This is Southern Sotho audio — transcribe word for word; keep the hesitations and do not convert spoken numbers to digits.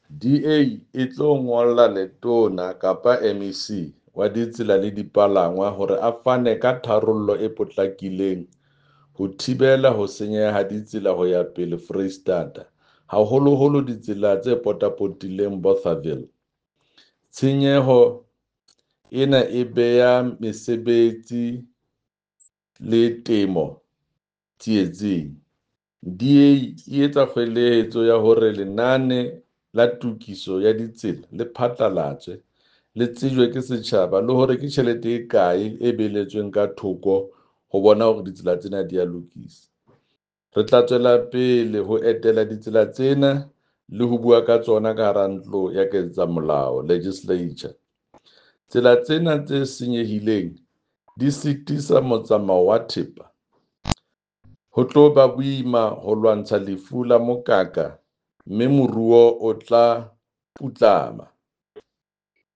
D A e tlo ngolla letona kapa M E C wa ditsela le dipalangwa hore a fane ka tharollo e potlakileng ho thibela ho senyeha ha ditsela ho ya pele Foreisetata, haholoholo ditsela tse potapotileng Bothaville. Tshenyeho ena e beha mesebetsi le temo tsietsing. D A e etsa kgoeletso ya hore lenane la tokiso ya ditsela le phatlalatswe le tsejwe ke setjhaba le hore ke tjhelete e kae e beeletsweng ka thoko ho bona hore ditsela tsena di a lokiswa. Re tla tswela pele ho etela ditsela tsena le ho bua ka tsona ka hara ntlo ya ketsamolao, legislature. Tsela tsena tse senyehileng di sitisa motsamao wa thepa. Ho tlo ba boima ho lwantsha lefu la mokaka mme moruo o tla putlama.